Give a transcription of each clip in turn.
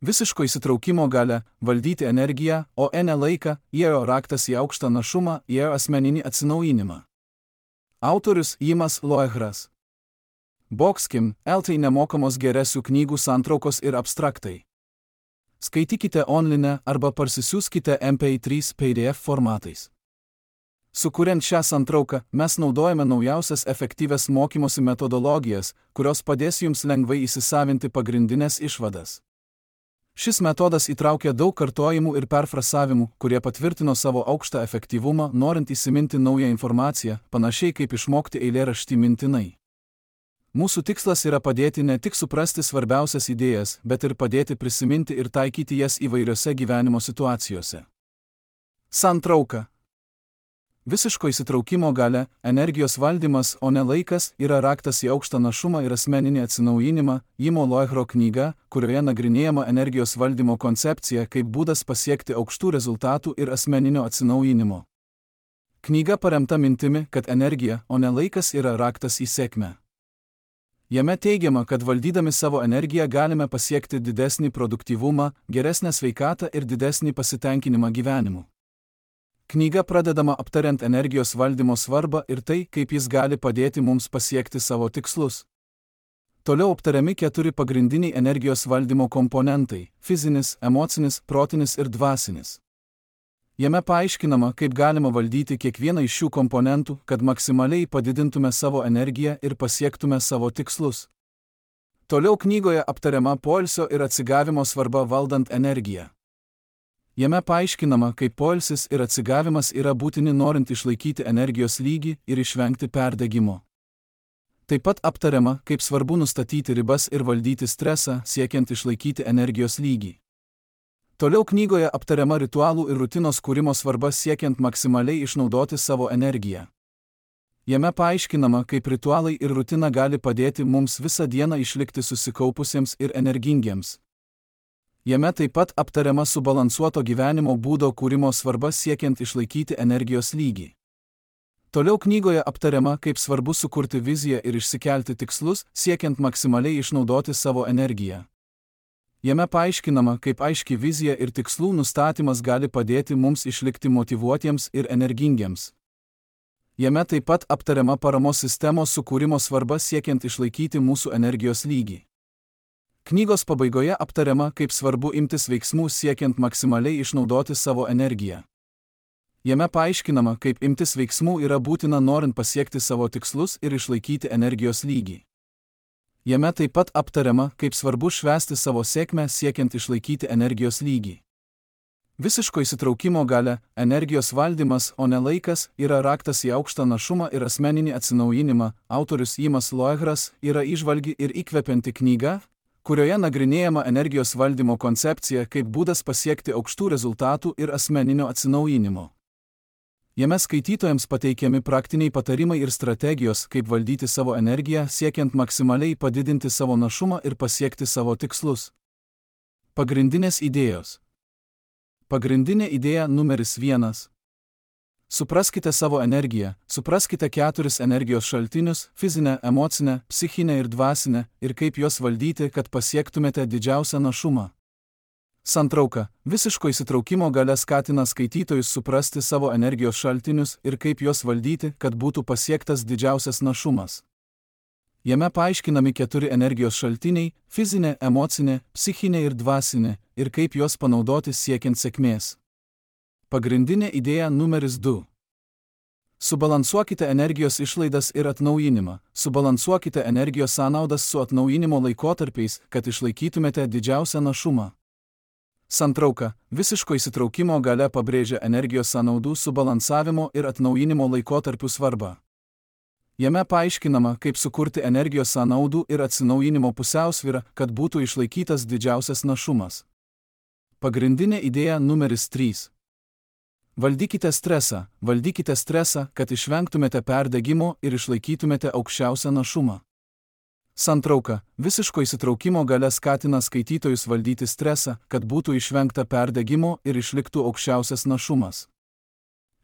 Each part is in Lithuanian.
Visiško įsitraukimo galia valdyti energiją, o ne laiką, įėjo raktas į aukštą našumą, įėjo asmeninį atsinaujinimą. Autorius Jimas Loehras. Boxkim, LT nemokamos geresių knygų santraukos ir abstraktai. Skaitykite online arba parsisiųskite MP3 PDF formatais. Sukuriant šią santrauką, mes naudojame naujausias efektyvias mokymosi metodologijas, kurios padės jums lengvai įsisavinti pagrindinės išvadas. Šis metodas įtraukia daug kartojimų ir perfrasavimų, kurie patvirtino savo aukštą efektyvumą, norint įsiminti naują informaciją, panašiai kaip išmokti eilėraštį mintinai. Mūsų tikslas yra padėti ne tik suprasti svarbiausias idėjas, bet ir padėti prisiminti ir taikyti jas įvairiose gyvenimo situacijose. Santrauka. Visiško įsitraukimo galia, energijos valdymas, o ne laikas, yra raktas į aukštą našumą ir asmeninį atsinaujinimą, Jimo Loehro knyga, kurioje nagrinėjama energijos valdymo koncepcija kaip būdas pasiekti aukštų rezultatų ir asmeninio atsinaujinimo. Knyga paremta mintimi, kad energija, o ne laikas yra raktas į sėkmę. Jame teigiama, kad valdydami savo energiją galime pasiekti didesnį produktyvumą, geresnę sveikatą ir didesnį pasitenkinimą gyvenimu. Knyga pradedama aptariant energijos valdymo svarbą ir tai, kaip jis gali padėti mums pasiekti savo tikslus. Toliau aptariami 4 pagrindiniai energijos valdymo komponentai – fizinis, emocinis, protinis ir dvasinis. Jame paaiškinama, kaip galima valdyti kiekvieną iš šių komponentų, kad maksimaliai padidintume savo energiją ir pasiektume savo tikslus. Toliau knygoje aptariama poilsio ir atsigavimo svarba valdant energiją. Jame paaiškinama, kaip poilsis ir atsigavimas yra būtini norint išlaikyti energijos lygį ir išvengti perdegimo. Taip pat aptariama, kaip svarbu nustatyti ribas ir valdyti stresą, siekiant išlaikyti energijos lygį. Toliau knygoje aptariama ritualų ir rutinos kūrimo svarba siekiant maksimaliai išnaudoti savo energiją. Jame paaiškinama, kaip ritualai ir rutina gali padėti mums visą dieną išlikti susikaupusiems ir energingiems. Jame taip pat aptariama subalansuoto gyvenimo būdo kūrimo svarba siekiant išlaikyti energijos lygį. Toliau knygoje aptariama, kaip svarbu sukurti viziją ir išsikelti tikslus, siekiant maksimaliai išnaudoti savo energiją. Jame paaiškinama, kaip aiški vizija ir tikslų nustatymas gali padėti mums išlikti motyvuotiems ir energingiems. Jame taip pat aptariama paramos sistemos sukūrimo svarba siekiant išlaikyti mūsų energijos lygį. Knygos pabaigoje aptariama, kaip svarbu imtis veiksmų siekiant maksimaliai išnaudoti savo energiją. Jame paaiškinama, kaip imtis veiksmų yra būtina norint pasiekti savo tikslus ir išlaikyti energijos lygį. Jame taip pat aptariama, kaip svarbu švęsti savo sėkmę siekiant išlaikyti energijos lygį. Visiško įsitraukimo galia, energijos valdymas, o ne laikas, yra raktas į aukštą našumą ir asmeninį atsinaujinimą. Autorius Jimas Loehras yra įžvalgi ir įkvepianti knyga, kurioje nagrinėjama energijos valdymo koncepcija kaip būdas pasiekti aukštų rezultatų ir asmeninio atsinaujinimo. Jame skaitytojams pateikiami praktiniai patarimai ir strategijos, kaip valdyti savo energiją, siekiant maksimaliai padidinti savo našumą ir pasiekti savo tikslus. Pagrindinės idėjos. Pagrindinė idėja numeris 1. Supraskite savo energiją, supraskite 4 energijos šaltinius – fizinę, emocinę, psichinę ir dvasinę, ir kaip juos valdyti, kad pasiektumėte didžiausią našumą. Santrauka. Visiško įsitraukimo galia skatina skaitytojus suprasti savo energijos šaltinius ir kaip juos valdyti, kad būtų pasiektas didžiausias našumas. Jame paaiškinami 4 energijos šaltiniai – fizinė, emocinė, psichinė ir dvasinė, ir kaip juos panaudoti siekiant sėkmės. Pagrindinė idėja numeris 2. Subalansuokite energijos išlaidas ir atnaujinimą. Subalansuokite energijos sąnaudas su atnaujinimo laikotarpiais, kad išlaikytumėte didžiausią našumą. Santrauka. Visiško įsitraukimo galia pabrėžia energijos sąnaudų subalansavimo ir atnaujinimo laikotarpių svarbą. Jame paaiškinama, kaip sukurti energijos sąnaudų ir atsinaujinimo pusiausvyrą, kad būtų išlaikytas didžiausias našumas. Pagrindinė idėja numeris 3. Valdykite stresą, kad išvengtumėte perdegimo ir išlaikytumėte aukščiausią našumą. Santrauka. Visiško įsitraukimo galia skatina skaitytojus valdyti stresą, kad būtų išvengta perdegimo ir išliktų aukščiausias našumas.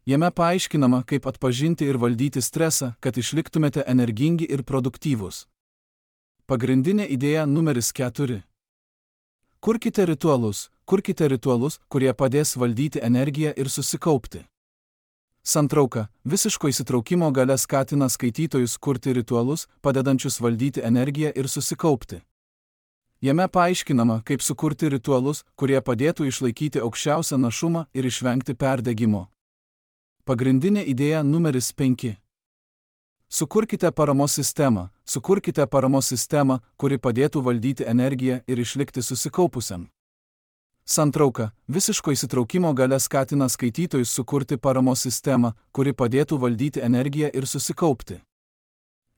Jame paaiškinama, kaip atpažinti ir valdyti stresą, kad išliktumėte energingi ir produktyvūs. Pagrindinė idėja numeris 4. Kurkite ritualus, kurie padės valdyti energiją ir susikaupti. Santrauka. Visiško įsitraukimo galia skatina skaitytojus kurti ritualus, padedančius valdyti energiją ir susikaupti. Jame paaiškinama, kaip sukurti ritualus, kurie padėtų išlaikyti aukščiausią našumą ir išvengti perdegimo. Pagrindinė idėja numeris 5. Sukurkite paramos sistemą, kuri padėtų valdyti energiją ir išlikti susikaupusiam. Santrauka. Visiško įsitraukimo galia skatina skaitytojus sukurti paramos sistemą, kuri padėtų valdyti energiją ir susikaupti.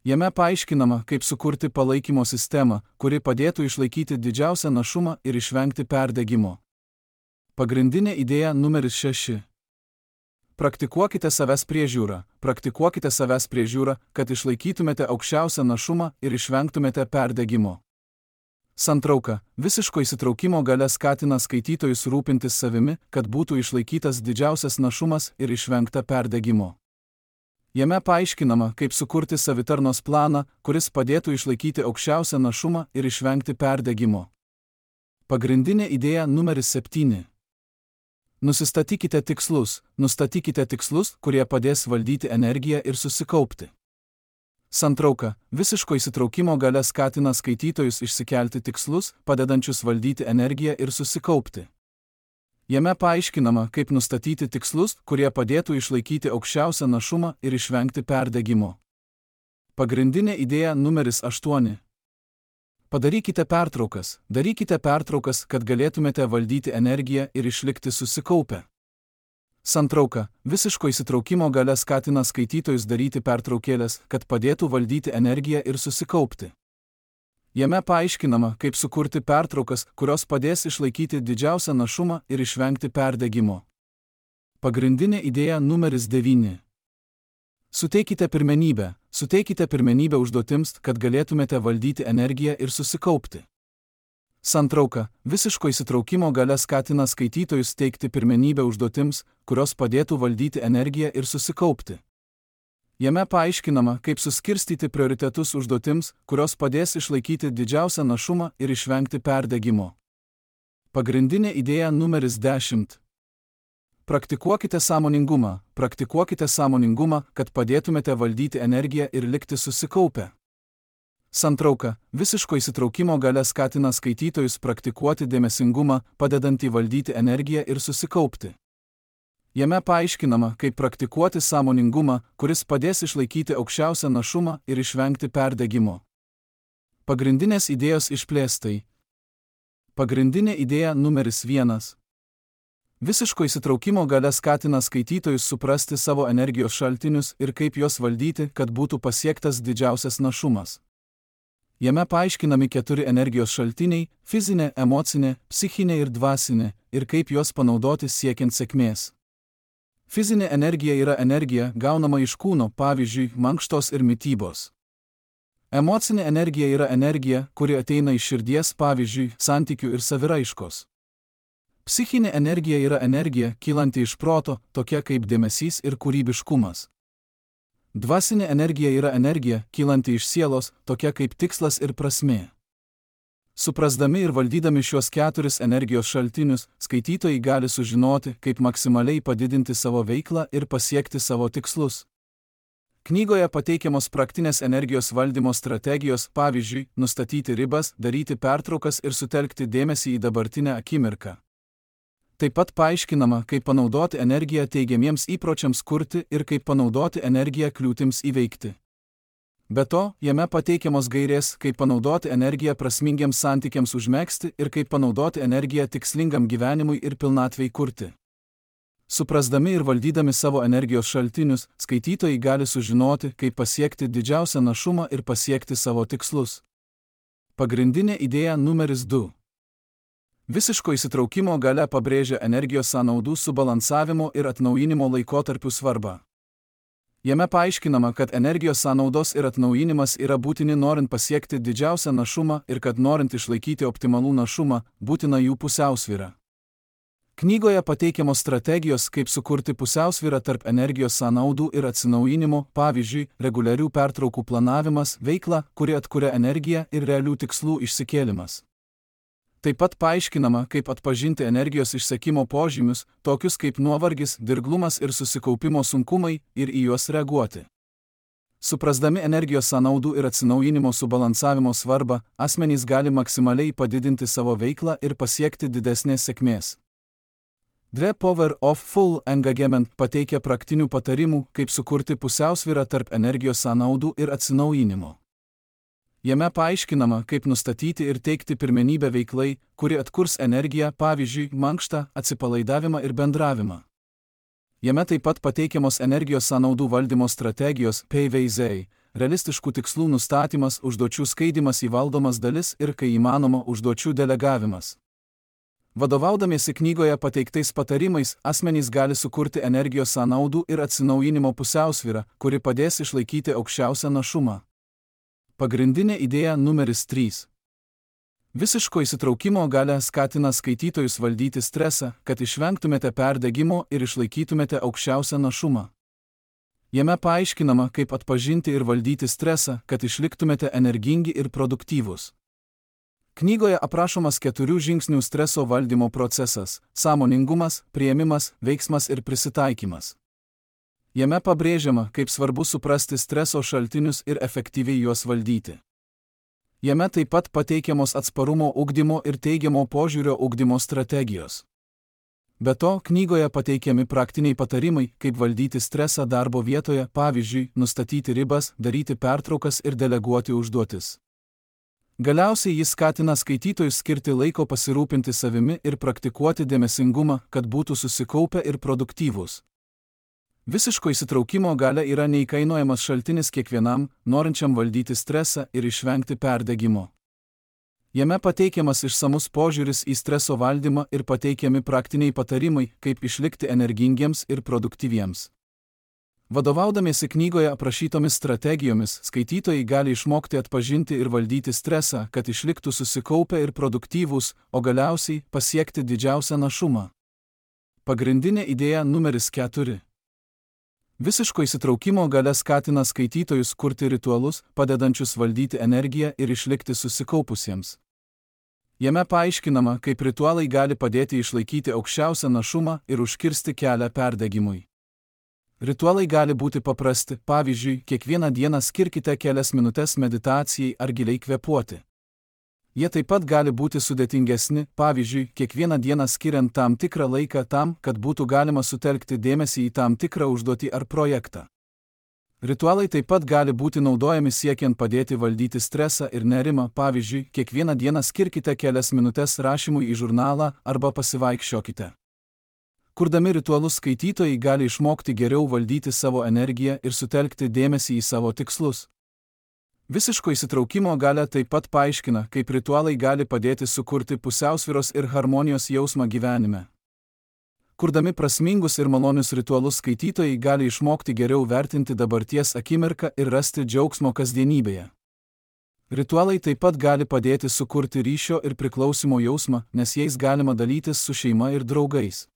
Jame paaiškinama, kaip sukurti palaikymo sistemą, kuri padėtų išlaikyti didžiausią našumą ir išvengti perdegimo. Pagrindinė idėja numeris 6. Praktikuokite savęs priežiūrą, kad išlaikytumėte aukščiausią našumą ir išvengtumėte perdegimo. Santrauka. Visiško įsitraukimo galia skatina skaitytojus rūpintis savimi, kad būtų išlaikytas didžiausias našumas ir išvengta perdegimo. Jame paaiškinama, kaip sukurti savitarnos planą, kuris padėtų išlaikyti aukščiausią našumą ir išvengti perdegimo. Pagrindinė idėja numeris 7. Nustatykite tikslus, kurie padės valdyti energiją ir susikaupti. Santrauka. Visiško įsitraukimo galia skatina skaitytojus išsikelti tikslus, padedančius valdyti energiją ir susikaupti. Jame paaiškinama, kaip nustatyti tikslus, kurie padėtų išlaikyti aukščiausią našumą ir išvengti perdegimo. Pagrindinė idėja numeris 8. Darykite pertraukas, kad galėtumėte valdyti energiją ir išlikti susikaupę. Santrauka. Visiško įsitraukimo galia skatina skaitytojus daryti pertraukėlės, kad padėtų valdyti energiją ir susikaupti. Jame paaiškinama, kaip sukurti pertraukas, kurios padės išlaikyti didžiausią našumą ir išvengti perdegimo. Pagrindinė idėja numeris 9. Suteikite pirmenybę užduotims, kad galėtumėte valdyti energiją ir susikaupti. Santrauka. Visiško įsitraukimo galia skatina skaitytojus teikti pirmenybę užduotims, kurios padėtų valdyti energiją ir susikaupti. Jame paaiškinama, kaip suskirstyti prioritetus užduotims, kurios padės išlaikyti didžiausią našumą ir išvengti perdegimo. Pagrindinė idėja numeris 10. Praktikuokite sąmoningumą, kad padėtumėte valdyti energiją ir likti susikaupę. Santrauka. Visiško įsitraukimo galia skatina skaitytojus praktikuoti dėmesingumą, padedantį valdyti energiją ir susikaupti. Jame paaiškinama, kaip praktikuoti sąmoningumą, kuris padės išlaikyti aukščiausią našumą ir išvengti perdegimo. Pagrindinės idėjos išplėstai. Pagrindinė idėja numeris 1. Visiško įsitraukimo galia skatina skaitytojus suprasti savo energijos šaltinius ir kaip juos valdyti, kad būtų pasiektas didžiausias našumas. Jame paaiškinami 4 energijos šaltiniai – fizinė, emocinė, psichinė ir dvasinė, ir kaip juos panaudoti siekiant sėkmės. Fizinė energija yra energija, gaunama iš kūno, pavyzdžiui, mankštos ir mitybos. Emocinė energija yra energija, kuri ateina iš širdies, pavyzdžiui, santykių ir saviraiškos. Psichinė energija yra energija, kylanti iš proto, tokia kaip dėmesys ir kūrybiškumas. Dvasinė energija yra energija, kylanti iš sielos, tokia kaip tikslas ir prasmė. Suprasdami ir valdydami šiuos 4 energijos šaltinius, skaitytojai gali sužinoti, kaip maksimaliai padidinti savo veiklą ir pasiekti savo tikslus. Knygoje pateikiamos praktinės energijos valdymo strategijos, pavyzdžiui, nustatyti ribas, daryti pertraukas ir sutelkti dėmesį į dabartinę akimirką. Taip pat paaiškinama, kaip panaudoti energiją teigiamiems įpročiams kurti ir kaip panaudoti energiją kliūtims įveikti. Be to, jame pateikiamos gairės, kaip panaudoti energiją prasmingiams santykiams užmegzti ir kaip panaudoti energiją tikslingam gyvenimui ir pilnatvei kurti. Suprasdami ir valdydami savo energijos šaltinius, skaitytojai gali sužinoti, kaip pasiekti didžiausią našumą ir pasiekti savo tikslus. Pagrindinė idėja numeris 2. Visiško įsitraukimo galia pabrėžia energijos sąnaudų subalansavimo ir atnaujinimo laikotarpių svarbą. Jame paaiškinama, kad energijos sąnaudos ir atnaujinimas yra būtini norint pasiekti didžiausią našumą ir kad norint išlaikyti optimalų našumą, būtina jų pusiausvyra. Knygoje pateikiamos strategijos, kaip sukurti pusiausvyrą tarp energijos sąnaudų ir atsinaujinimo, pavyzdžiui, reguliarių pertraukų planavimas, veikla, kuri atkuria energiją ir realių tikslų išsikėlimas. Taip pat paaiškinama, kaip atpažinti energijos išsekimo požymius, tokius kaip nuovargis, dirglumas ir susikaupimo sunkumai, ir į juos reaguoti. Suprasdami energijos sąnaudų ir atsinaujinimo subalansavimo svarbą, asmenys gali maksimaliai padidinti savo veiklą ir pasiekti didesnės sėkmės. The Power of Full Engagement pateikia praktinių patarimų, kaip sukurti pusiausvyrą tarp energijos sąnaudų ir atsinaujinimo. Jame paaiškinama, kaip nustatyti ir teikti pirmenybę veiklai, kuri atkurs energiją, pavyzdžiui, mankštą, atsipalaidavimą ir bendravimą. Jame taip pat pateikiamos energijos sąnaudų valdymo strategijos PVZ, realistiškų tikslų nustatymas, užduočių skaidymas į valdomas dalis ir, kai įmanoma, užduočių delegavimas. Vadovaudamiesi knygoje pateiktais patarimais, asmenys gali sukurti energijos sąnaudų ir atsinaujinimo pusiausvyrą, kuri padės išlaikyti aukščiausią našumą. Pagrindinė idėja numeris 3. Visiško įsitraukimo galia skatina skaitytojus valdyti stresą, kad išvengtumėte perdegimo ir išlaikytumėte aukščiausią našumą. Jame paaiškinama, kaip atpažinti ir valdyti stresą, kad išliktumėte energingi ir produktyvūs. Knygoje aprašomas 4 žingsnių streso valdymo procesas – sąmoningumas, priėmimas, veiksmas ir prisitaikymas. Jame pabrėžiama, kaip svarbu suprasti streso šaltinius ir efektyviai juos valdyti. Jame taip pat pateikiamos atsparumo ugdymo ir teigiamo požiūrio ugdymo strategijos. Be to, knygoje pateikiami praktiniai patarimai, kaip valdyti stresą darbo vietoje, pavyzdžiui, nustatyti ribas, daryti pertraukas ir deleguoti užduotis. Galiausiai jis skatina skaitytojus skirti laiko pasirūpinti savimi ir praktikuoti dėmesingumą, kad būtų susikaupę ir produktyvūs. Visiško įsitraukimo galia yra neįkainojamas šaltinis kiekvienam, norinčiam valdyti stresą ir išvengti perdegimo. Jame pateikiamas išsamus požiūris į streso valdymą ir pateikiami praktiniai patarimai, kaip išlikti energingiems ir produktyviems. Vadovaudamiesi knygoje aprašytomis strategijomis, skaitytojai gali išmokti atpažinti ir valdyti stresą, kad išliktų susikaupę ir produktyvūs, o galiausiai pasiekti didžiausią našumą. Pagrindinė idėja numeris 4. Visiško įsitraukimo galia skatina skaitytojus kurti ritualus, padedančius valdyti energiją ir išlikti susikaupusiems. Jame paaiškinama, kaip ritualai gali padėti išlaikyti aukščiausią našumą ir užkirsti kelią perdegimui. Ritualai gali būti paprasti, pavyzdžiui, kiekvieną dieną skirkite kelias minutes meditacijai ar giliai kvėpuoti. Jie taip pat gali būti sudėtingesni, pavyzdžiui, kiekvieną dieną skiriant tam tikrą laiką tam, kad būtų galima sutelkti dėmesį į tam tikrą užduotį ar projektą. Ritualai taip pat gali būti naudojami siekiant padėti valdyti stresą ir nerimą, pavyzdžiui, kiekvieną dieną skirkite kelias minutes rašymui į žurnalą arba pasivaikščiokite. Kurdami ritualus skaitytojai gali išmokti geriau valdyti savo energiją ir sutelkti dėmesį į savo tikslus. Visiško įsitraukimo galia taip pat paaiškina, kaip ritualai gali padėti sukurti pusiausvyros ir harmonijos jausmą gyvenime. Kurdami prasmingus ir malonius ritualus skaitytojai gali išmokti geriau vertinti dabarties akimirką ir rasti džiaugsmo kasdienybėje. Ritualai taip pat gali padėti sukurti ryšio ir priklausimo jausmą, nes jais galima dalytis su šeima ir draugais.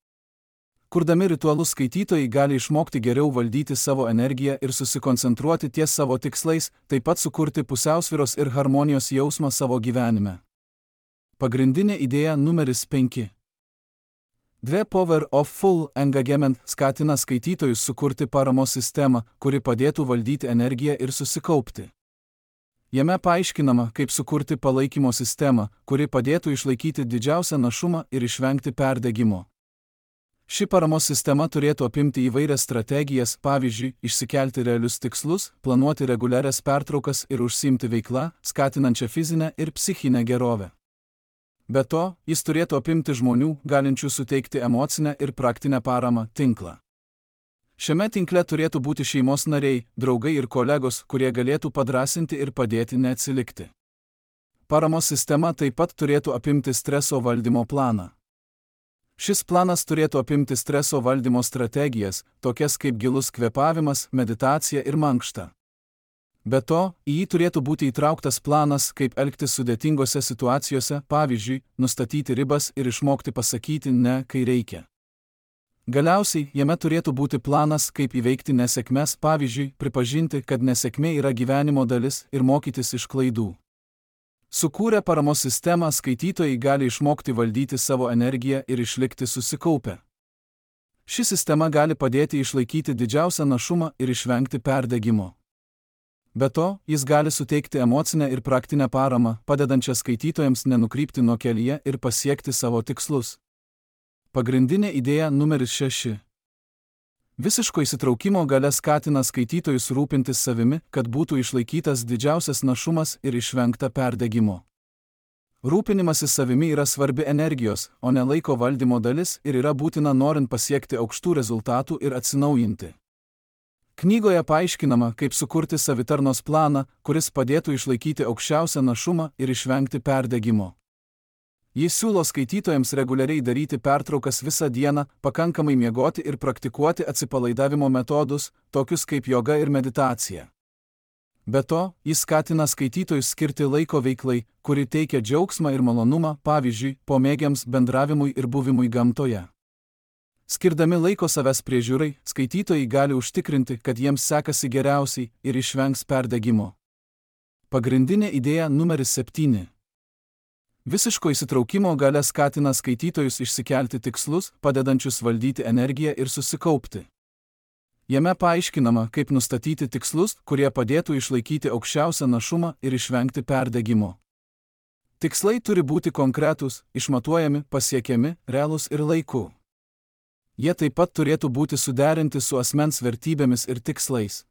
Kurdami ritualus skaitytojai gali išmokti geriau valdyti savo energiją ir susikoncentruoti ties savo tikslais, taip pat sukurti pusiausvyros ir harmonijos jausmą savo gyvenime. Pagrindinė idėja numeris 5. The Power of Full Engagement skatina skaitytojus sukurti paramos sistemą, kuri padėtų valdyti energiją ir susikaupti. Jame paaiškinama, kaip sukurti palaikymo sistemą, kuri padėtų išlaikyti didžiausią našumą ir išvengti perdegimo. Ši paramos sistema turėtų apimti įvairias strategijas, pavyzdžiui, išsikelti realius tikslus, planuoti reguliarias pertraukas ir užsiimti veiklą, skatinančią fizinę ir psichinę gerovę. Be to, jis turėtų apimti žmonių, galinčių suteikti emocinę ir praktinę paramą, tinklą. Šiame tinkle turėtų būti šeimos nariai, draugai ir kolegos, kurie galėtų padrasinti ir padėti neatsilikti. Paramos sistema taip pat turėtų apimti streso valdymo planą. Šis planas turėtų apimti streso valdymo strategijas, tokias kaip gilus kvėpavimas, meditacija ir mankšta. Be to, į jį turėtų būti įtrauktas planas, kaip elgtis sudėtingose situacijose, pavyzdžiui, nustatyti ribas ir išmokti pasakyti ne, kai reikia. Galiausiai, jame turėtų būti planas, kaip įveikti nesėkmes, pavyzdžiui, pripažinti, kad nesėkmė yra gyvenimo dalis ir mokytis iš klaidų. Sukūrę paramos sistemą, skaitytojai gali išmokti valdyti savo energiją ir išlikti susikaupę. Ši sistema gali padėti išlaikyti didžiausią našumą ir išvengti perdegimo. Be to, jis gali suteikti emocinę ir praktinę paramą, padedančią skaitytojams nenukrypti nuo kelyje ir pasiekti savo tikslus. Pagrindinė idėja numeris 6. Visiško įsitraukimo galia skatina skaitytojus rūpintis savimi, kad būtų išlaikytas didžiausias našumas ir išvengta perdegimo. Rūpinimasis savimi yra svarbi energijos, o ne laiko valdymo dalis ir yra būtina norint pasiekti aukštų rezultatų ir atsinaujinti. Knygoje paaiškinama, kaip sukurti savitarnos planą, kuris padėtų išlaikyti aukščiausią našumą ir išvengti perdegimo. Jis siūlo skaitytojams reguliariai daryti pertraukas visą dieną, pakankamai miegoti ir praktikuoti atsipalaidavimo metodus, tokius kaip joga ir meditacija. Be to, jis skatina skaitytojus skirti laiko veiklai, kuri teikia džiaugsmą ir malonumą, pavyzdžiui, pomėgiams, bendravimui ir buvimui gamtoje. Skirdami laiko savęs priežiūrai, skaitytojai gali užtikrinti, kad jiems sekasi geriausiai ir išvengs perdegimo. Pagrindinė idėja numeris 7. Visiško įsitraukimo galia skatina skaitytojus išsikelti tikslus, padedančius valdyti energiją ir susikaupti. Jame paaiškinama, kaip nustatyti tikslus, kurie padėtų išlaikyti aukščiausią našumą ir išvengti perdegimo. Tikslai turi būti konkretūs, išmatuojami, pasiekiami, realūs ir laiku. Jie taip pat turėtų būti suderinti su asmens vertybėmis ir tikslais.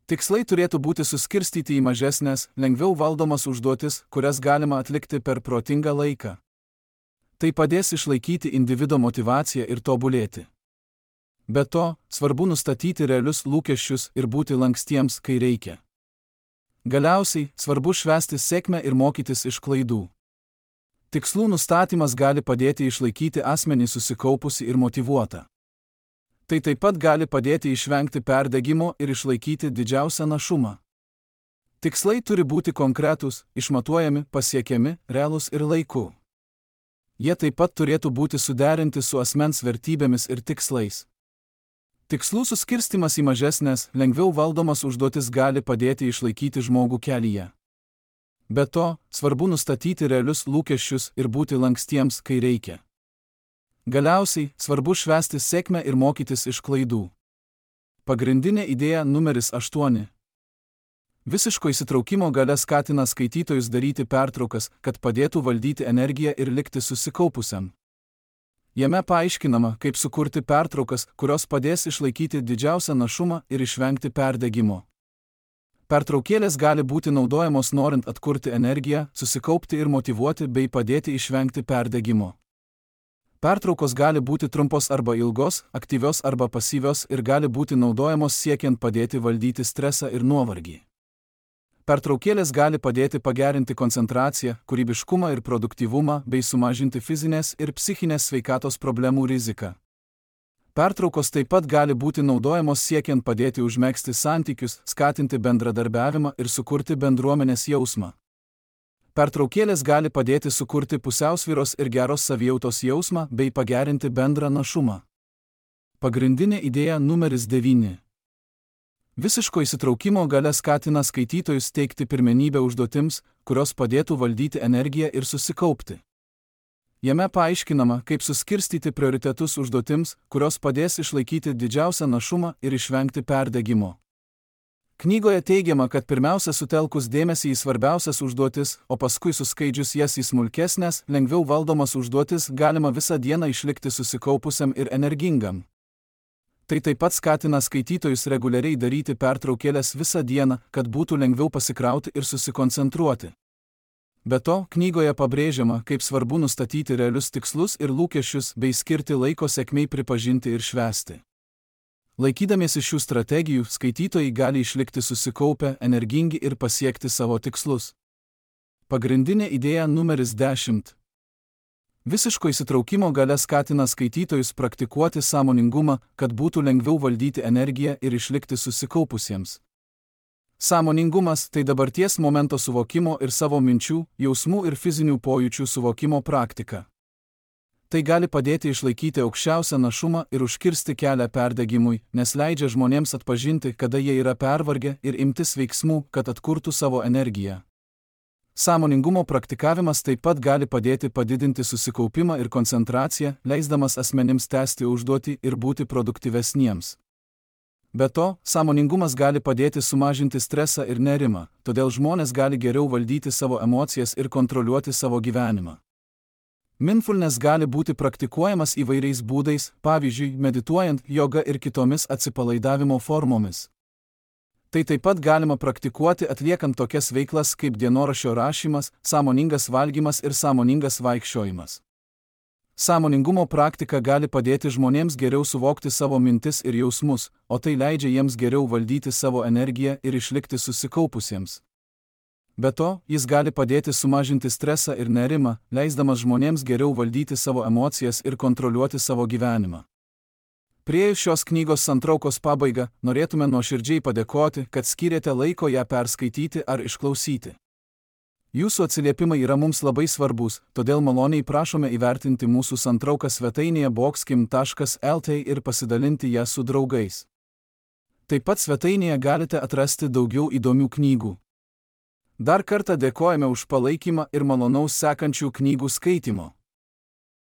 Tikslai turėtų būti suskirstyti į mažesnės, lengviau valdomas užduotis, kurias galima atlikti per protingą laiką. Tai padės išlaikyti individo motyvaciją ir tobulėti. Be to, svarbu nustatyti realius lūkesčius ir būti lankstiems, kai reikia. Galiausiai, svarbu švęsti sėkmę ir mokytis iš klaidų. Tikslų nustatymas gali padėti išlaikyti asmenį susikaupusį ir motyvuotą. Tai taip pat gali padėti išvengti perdegimo ir išlaikyti didžiausią našumą. Tikslai turi būti konkretūs, išmatuojami, pasiekiami, realūs ir laiku. Jie taip pat turėtų būti suderinti su asmens vertybėmis ir tikslais. Tikslų suskirstimas į mažesnės, lengviau valdomas užduotis gali padėti išlaikyti žmogų kelyje. Be to, svarbu nustatyti realius lūkesčius ir būti lankstiems, kai reikia. Galiausiai, svarbu švęsti sėkmę ir mokytis iš klaidų. Pagrindinė idėja numeris 8. Visiško įsitraukimo galia skatina skaitytojus daryti pertraukas, kad padėtų valdyti energiją ir likti susikaupusiam. Jame paaiškinama, kaip sukurti pertraukas, kurios padės išlaikyti didžiausią našumą ir išvengti perdegimo. Pertraukėlės gali būti naudojamos norint atkurti energiją, susikaupti ir motyvuoti bei padėti išvengti perdegimo. Pertraukos gali būti trumpos arba ilgos, aktyvios arba pasyvios ir gali būti naudojamos siekiant padėti valdyti stresą ir nuovargį. Pertraukėlės gali padėti pagerinti koncentraciją, kūrybiškumą ir produktyvumą bei sumažinti fizinės ir psichinės sveikatos problemų riziką. Pertraukos taip pat gali būti naudojamos siekiant padėti užmegzti santykius, skatinti bendradarbiavimą ir sukurti bendruomenės jausmą. Pertraukėlės gali padėti sukurti pusiausvyros ir geros savijautos jausmą bei pagerinti bendrą našumą. Pagrindinė idėja numeris 9. Visiško įsitraukimo galia skatina skaitytojus teikti pirmenybę užduotims, kurios padėtų valdyti energiją ir susikaupti. Jame paaiškinama, kaip suskirstyti prioritetus užduotims, kurios padės išlaikyti didžiausią našumą ir išvengti perdegimo. Knygoje teigiama, kad pirmiausia sutelkus dėmesį į svarbiausias užduotis, o paskui suskaidžius jas į smulkesnės, lengviau valdomas užduotis, galima visą dieną išlikti susikaupusiam ir energingam. Tai taip pat skatina skaitytojus reguliariai daryti pertraukėlės visą dieną, kad būtų lengviau pasikrauti ir susikoncentruoti. Be to, knygoje pabrėžiama, kaip svarbu nustatyti realius tikslus ir lūkesčius bei skirti laiko sėkmei pripažinti ir švęsti. Laikydamiesi šių strategijų, skaitytojai gali išlikti susikaupę, energingi ir pasiekti savo tikslus. Pagrindinė idėja numeris 10. Visiško įsitraukimo galia skatina skaitytojus praktikuoti sąmoningumą, kad būtų lengviau valdyti energiją ir išlikti susikaupusiems. Sąmoningumas – tai dabarties momento suvokimo ir savo minčių, jausmų ir fizinių pojūčių suvokimo praktika. Tai gali padėti išlaikyti aukščiausią našumą ir užkirsti kelią perdegimui, nes leidžia žmonėms atpažinti, kada jie yra pervargę ir imtis veiksmų, kad atkurtų savo energiją. Sąmoningumo praktikavimas taip pat gali padėti padidinti susikaupimą ir koncentraciją, leisdamas asmenims tęsti užduotį ir būti produktyvesniems. Be to, sąmoningumas gali padėti sumažinti stresą ir nerimą, todėl žmonės gali geriau valdyti savo emocijas ir kontroliuoti savo gyvenimą. Mindfulness gali būti praktikuojamas įvairiais būdais, pavyzdžiui, medituojant, joga ir kitomis atsipalaidavimo formomis. Tai taip pat galima praktikuoti atliekant tokias veiklas kaip dienoraščio rašymas, sąmoningas valgymas ir sąmoningas vaikščiojimas. Sąmoningumo praktika gali padėti žmonėms geriau suvokti savo mintis ir jausmus, o tai leidžia jiems geriau valdyti savo energiją ir išlikti susikaupusiems. Be to, jis gali padėti sumažinti stresą ir nerimą, leisdamas žmonėms geriau valdyti savo emocijas ir kontroliuoti savo gyvenimą. Priėjus šios knygos santraukos pabaigą, norėtume nuoširdžiai padėkoti, kad skyrėte laiko ją perskaityti ar išklausyti. Jūsų atsiliepimai yra mums labai svarbus, todėl maloniai prašome įvertinti mūsų santrauką svetainėje boxkim.lt ir pasidalinti ją su draugais. Taip pat svetainėje galite atrasti daugiau įdomių knygų. Dar kartą dėkojame už palaikymą ir malonaus sekančių knygų skaitimo.